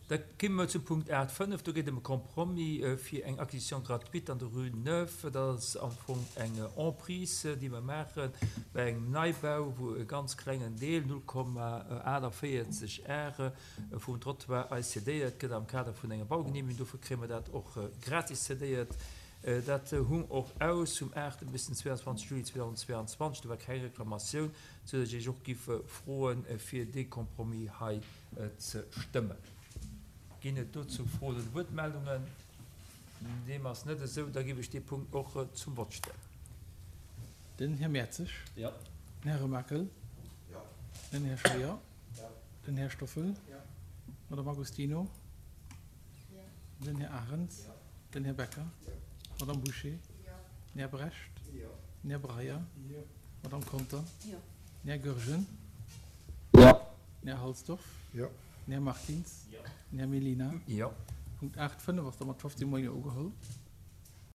Da komme mer zum Punkt 8, 5. Do geet et ëm e Compromis fir eng Acquisition gratuite an der Rue Neuve. Dat ass am Fong eng Emprise, déi mer maache bei engem Neibau, wou e ganz klengen Deel, 0,48 Are, vum Trottoir eis cedéiert gëtt am Kader vun enger Baugenehmegung. Dofir kréie mer dat och gratis cedéiert. Dat hung och aus vum 8 bis den 22 Juli 2022. Do war keng Reklamatioun, soudatt ech Iech och giff froen, fir dee Compromis hei ze stëmmen. Ginn et dozou Froen oder Wuertmeldungen? Deem ass net esou. Da giff ech dee Punkt och zum Vott stellen. Den Här Mertzig. Jo. Den Här Remakel. Jo. Den Här Scheuer. Jo. Den Här Stoffel. Jo. D'Madame Agostino. Jo. Den Här Arens. Jo. Den Här Becker. Jo. D'Madame Bouché. Jo. Den Här Brecht. Jo. Den Här Breyer. Jo. D'Madame Conter. Jo. Den Här Goergen. Jo. Den Här Halsdorf. Jo. Den Här Martins. Jo. Den Här Mellina. Jo. Punkt 8, 5 ass da mat 15 mol Jo ugeholl.